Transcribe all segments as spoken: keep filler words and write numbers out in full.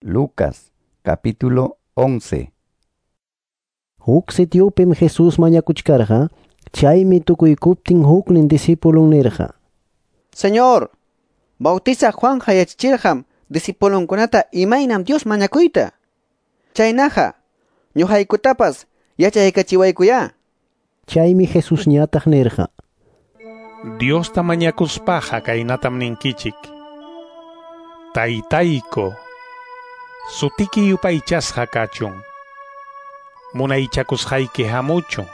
Lucas capítulo once. Huk sitiupim Jesús mañakuchkarqa, chaymi tukuykuptin huknin discipulun nirqa: Señor, Bautizaq Juan yachachirqam discipulunkunata imaynam Dios mañakuyta. Chaynaqa, ñuqaykutapas yachaykachiwaykuyá. Chaymi Jesusñataq nirqa: Diosta mañakuspaqa kaynatam ninkichik: Taytayku, sutiki yupaychasqa kachun, munaychakusqayki hamuchun,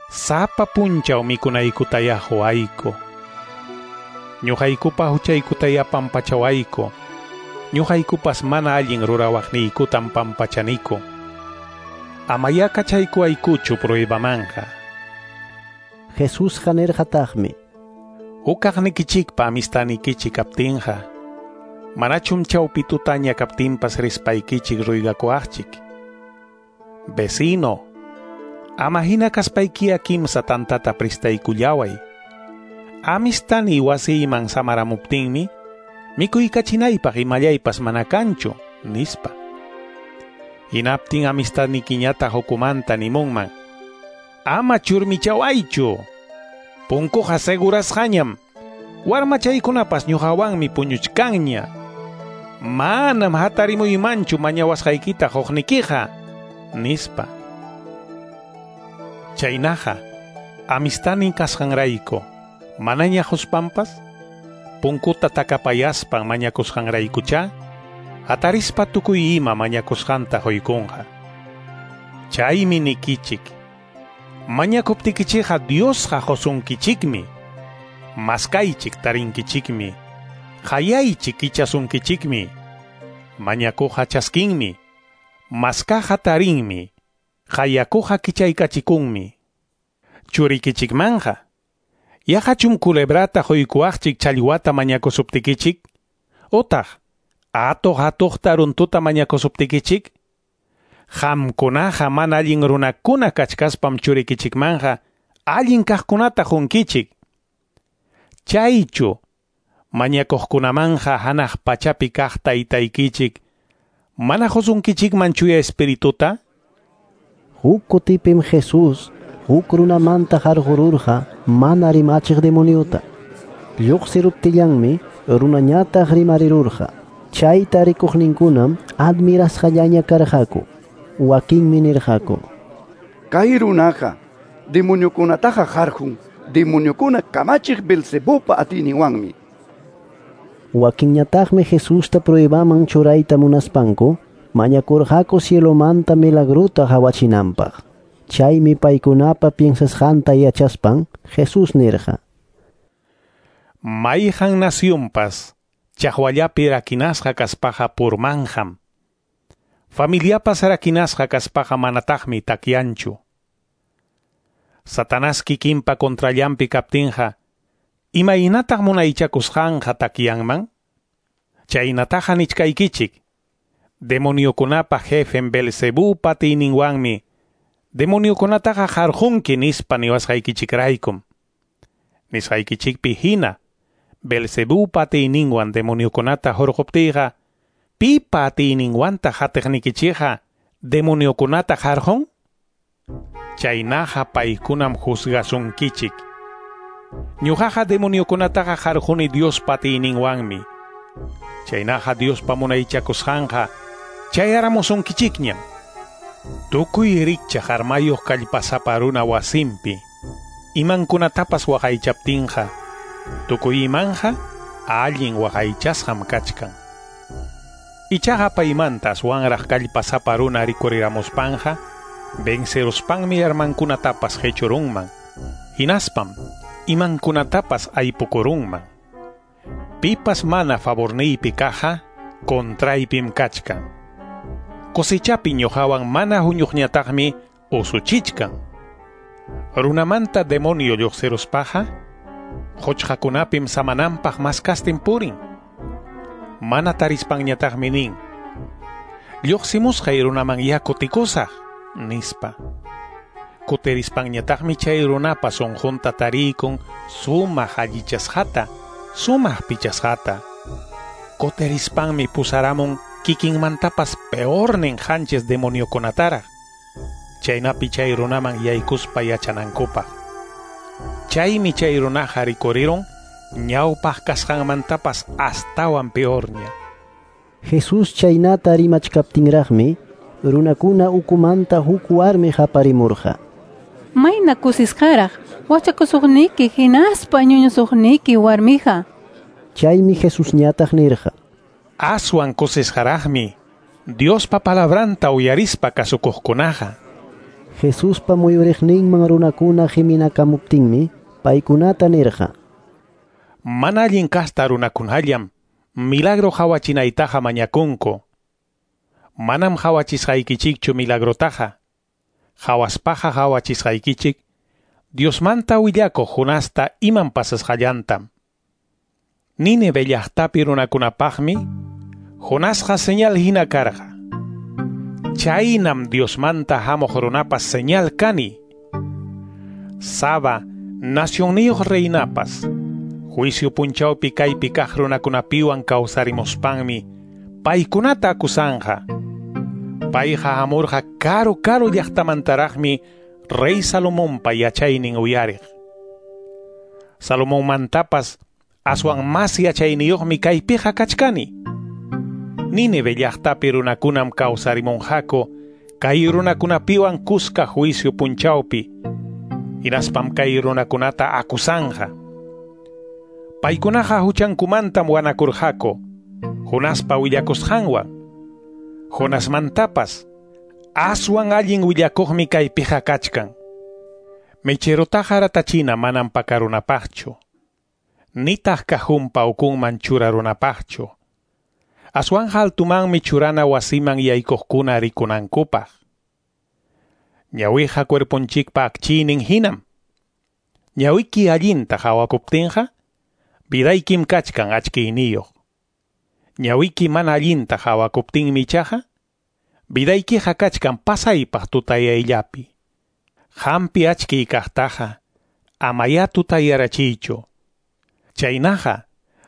sapa punchaw mikunaykutaya quwayku, ñuqaykupa huchaykutaya pampachawayku, ñuqaykupas mana allin rurawaqniykutam pampachaniku, amaya kachaykuwaykuchu pruebamanja. Jesusqa nirqataqmi: Hukaqnikichikpa amistanikichik kaptinqa, manachum chawpi tutaña kaptinpas rispaykichik ruygakuwaqchik: Vecino, ama hina kaspaykiya kimsa tantata pristaykullaway. Amistani wasiyman samaramuptinmi, mikuykachinaypaq imallaypas mana kanchu, nispa. Hinaptin amistadnikiñataq ukumanta nimunman: Ama churmichawaychu, punkuqa segurasqañam, warmachaykunapas ñuqawanmi puñuchkanña. Manam hatarimuymanchu mañawasqaykita quqnikiqa, nispa. Chaynaqa, amistadnin kasqanrayku, manaña quspanpas, punkuta takapayaspan mañakusqanraykuchá, hatarispa tukuy ima mañakusqanta quykunqa. Chaymi nikichik: mañakuptikichikqa Diosqa qusunkichikmi, maskaychik tarinkichikmi, qayaychik kichasunkichikmi, mañakuqa chaskinmi, maskaqa tarinmi, qayakuqa kichaykachikunmi. Churikichikmanja, yaqachum culebrata quykuwaqchik challwata mañakusuptikichik, utaq atuq atuqta runtuta mañakusuptikichik? Qamkunaqa mana allin runakuna kachkaspam churikichikmanja allin kaqkunata qunkichik. Chaychu mañakuqkunamanja hanaq pachapi kaq taytaykichik mana qusunkichikman chuya espirituta? Huk kutipim Jesús huk runamanta qarqururqa mana rimachiq demoniuta. Lluqsiruptillanmi runañataq rimarirurqa. Chayta rikuqninkunam admirasqallaña karqaku. Wakinmi nirqaku: Kay runaqa demoniokunataqa qarqun, demoniokuna kamachiq Beelzebupa atiyninwanmi. Wakinñataqmi Jesusta pruebaman churayta munaspanku mañakurqaku cielomanta milagruta qawachinanpaq. Chaymi paykunapa piensasqanta yachaspan Jesús nirqa: Mayqan nacionpas chaqwallapi rakinasqa kaspaqa purmanqam. Familiapas rakinasqa kaspaqa manataqmi takyanchu. Satanás kikinpa contrallanpi kaptinqa, imaynataq munaychakusqanqa takyanman? Chaynataqa nichkaykichik: demoniokunapa jefen Beelzebupa atiyninwanmi demoniokunataqa qarqunki nispa niwasqaykichikraykum. Nisqaykichikpi hina Beelzebupa atiyninwan demoniokunata hurquptiyqa, pipa atiyninwantaq hatiqnikichikqa demoniokunata qarqun? Chaynaqa paykunam juzgasunkichik. Ñuqaqa demoniokunataqa qarquni Diospa atiyninwanmi. Chaynaqa Diospa munaychakusqanqa chayaramusunkichikñam. Tukuy rikchaq armayuq kallpasapa runa wasinpi imankunatapas waqaychaptinqa, tukuy imanja allin waqaychasqam kachkan. Ichaqa paymanta aswanraq kallpasapa runa rikuriramuspanja, venceruspanmi armankunatapas qechurunman, hinaspam imankunatapas aypukurunman. Pipas mana favorniypi kaqqa contraypim kachkan. Cosechapi ñuqawan mana huñuqñataqmi usuchichkan. Runamanta demonio lluqsiruspaqa, quchqakunapim samananpaq maskastin purin. Mana tarispanñataqmi nin: Lluqsimusqay runaman ya kutikusaq, nispa. Kutirispanñataqmi chay runapa sunqunta tariykun sumaq allichasqata, sumaq pichasqata. Kutirispanmi pusaramun kikinmantapas peornin qanchis demoniokunataraq, chaynapi chay runaman yaykuspa yachanankupaq. Chaymi chay runaqa rikurirun ñawpaq kasqanmantapas astawan peorña. Jesús chaynata rimachkaptinraqmi runakuna ukumanta huk warmi qaparimurqa. Mayna kusisqaraq wachakusuqniki hinaspa ñuñusuqniki warmija. Chaymi Jesusñataq nirqa: Aswan kusisqaraqmi Diospa palabranta uyarispa kasukuqkunaqa. Jesuspa muyuriqninman runakuna qiminakamuptinmi paykunata nirqa: Mana allin kasta runakunallam milagro qawachinaytaqa mañakunku. Manam qawachisqaykichikchu milagrotaqa. Qawaspaqa qawachisqaykichik Diosmanta willakuq Jonasta iman pasasqallantam. Nínive llaqtapi runakunapaqmi Jonasqa señal hina karqa. Chaynam Diosmanta hamuq runapas señal kani. Saba nacionniyuq reinapas juicio punchawpi kaypi kaq runakunapiwan kawsarimuspanmi paykunata akusanja. Payqa hamurqa karu karu llaqtamantaraqmi rey Salomonpa yachaynin uyariq. Salomonmantapas aswan mas yachayniyuqmi kaypiqa kachkani. Nínive llaqtapi runakunam kawsarimunqaku kay runakunapiwan kuska juicio punchawpi, hinaspam kay runakunata akusanja. Paykunaqa huchankumantam wanakurqaku Jonaspa willakusqanwan. Jonasmantapas aswan allin willakuqmi kaypiqa kachkan. Mecherotaqa ratachina manam pakarunapaqchu, nitaq kajunpa ukunman churarunapaqchu. Aswanja altumanmi churana wasiman yaykuqkuna rikunankupaq. Ñawiqa cuerponchikpa akchiynin hinam. Ñawiki allinta qhawakuptinqa, vidaykim kachkan achkiyniyuq. Ñawiki mana allinta qhawakuptinmi ichaqa, vidaykiqa kachkan pasaypaq tutayayllapi. Hampi achkiy kaqtaqa, amaya tutayarachiychu. Chaynaqa,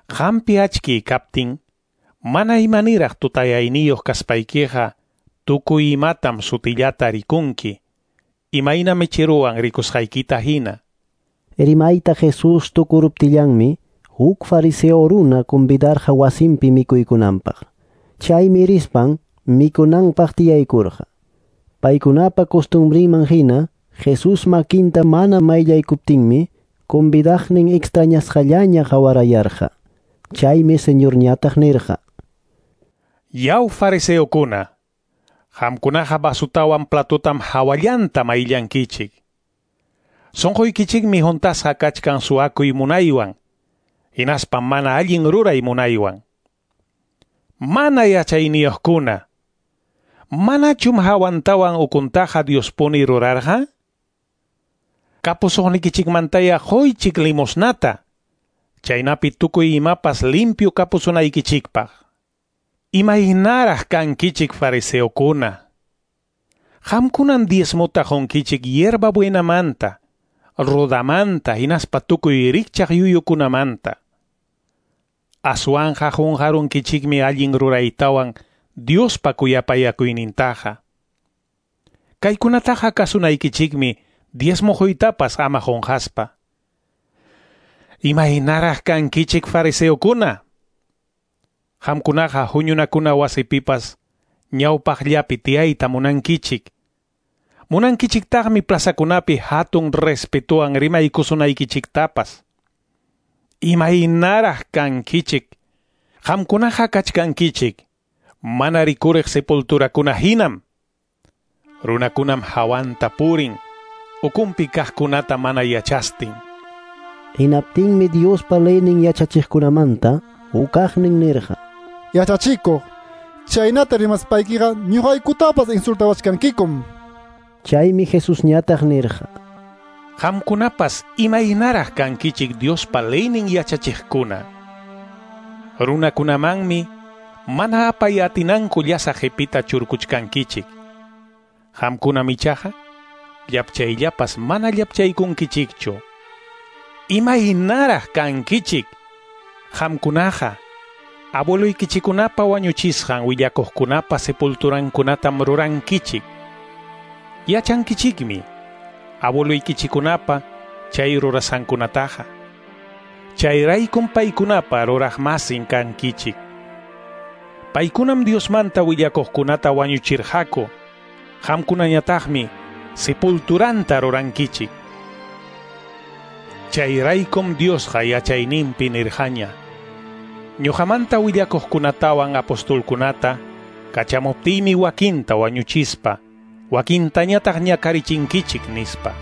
hampi achkiy kaptin, mana imaniraq tutayayniyuq kaspaykiqa, tukuy imatam sutillata rikunki, imayna mecheruwan rikusqaykita hina. Rimayta Jesús tukuruptillanmi huk fariseo runa convidarqa wasinpi mikuykunanpaq. Chaymi rispan mikunanpaq tiyaykurqa. Paykunapa costumbrinman hina Jesús makinta mana mayllaykuptinmi convidaqnin extrañasqallaña qawarayarqa. Chaymi Señorñataq nirqa: Yaw fariseokuna, qamkunaqa vasutawan platotam hawallanta mayllankichik. Sunquykichikmi huntasqa kachkan suwakuy munaywan, hinaspa mana allin ruray munaywan. Mana yachayniyuqkuna, manachum hawantawan ukuntaqa Diospuni rurarqa? Kapusuqnikichikmantaya quychik limosnata, chaynapi tukuy imapas limpio kapusunaykichikpaq. Imaynaraq kankichik fariseokuna. Qamkunan diezmota qunkichik hierba buenamanta, rodamanta, hinaspa tukuy rikchaq yuyukunamanta. Aswanja qunqarunkichikmi allin ruraytawan Diospa kuyapayakuynintaqa. Kaykunataqa kasunaykichikmi diezmo quytapas ama qunqaspa. Imaynaraq kankichik fariseokuna. Qamkunaqa huñunakuna wasipipas ñawpaqllapi tiyayta munankichik. Munankichiktaqmi plazakunapi hatun respetuwan rimaykusunaykichiktapas. Imaynaraq kankichik. Qamkunaqa kachkankichik mana rikuriq sepulturakuna hinam. Runakunam hawanta purin, ukunpi kaqkunata mana yachastin. Hinaptinmi Diospa leynin yachachiqkunamanta hukaqnin nirqa: Yachachikuq, chaynata rimaspaykiqa ñuqaykutapas insultawachkankikum. Chaymi Jesusñataq nirqa: Qamkunapas imaynaraq kankichik Diospa leynin yachachiqkuna. Runakunamanmi mana apay atinanku llasa qipita churkuchkankichik. Qamkunam ichaqa llapchayllapas mana llapchaykunkichikchu. Imaynaraq kankichik. Qamkunaqa Abueloykichikkunapa wañuchisqan willakuqkunapa sepulturankunatam rurankichik. Yachankichikmi abueloykichikkunapa chay rurasqankunataqa. Chayraykum paykunapa ruraqmasin kankichik. Paykunam Diosmanta willakuqkunata wañuchirqaku. Qamkunañataqmi sepulturanta rurankichik. Chayraykum Diosqa yachayninpi nirqaña. Ñuqamanta willakuqkunatawan apostolkunata kachamuptiymi wakinta wañuchispa, wakintañataq ñakarichinkichik nispa.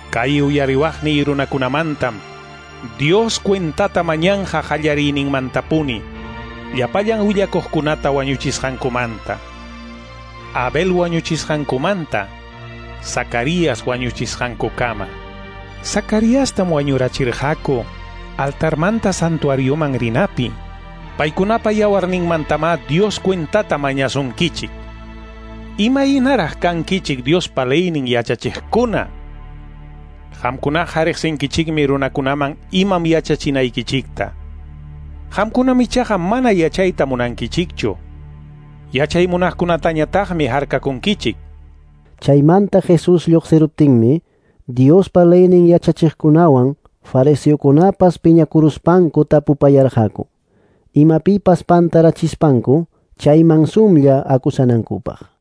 Kay uyariwaqniy runakunamantam Dios cuentata mañanja qallariyninmantapuni llapallan willakuqkunata wañuchisqankumanta. Abel wañuchisqankumanta, Zacarías wañuchisqankukama. Zacariastam wañurachirqaku altarmanta santuarioman rinapi. Paykunapa yawarninmantamá Dios cuentata mañasunkichik. Imaynaraq kankichik Diospa leynin yachachiqkuna. Qamkunaqa riqsinkichikmi runakunaman imam yachachinaykichikta. Qamkunam ichaqa mana yachayta munankichikchu. Yachay munaqkunatañataqmi harkakunkichik. Chaymanta Jesús lluqsiruptinmi Diospa leynin yachachiqkunawan fariseokunapas piñakuruspanku tapupayarqaku. Imapipas pantarachispanku chayman sumlla akusanankupaq.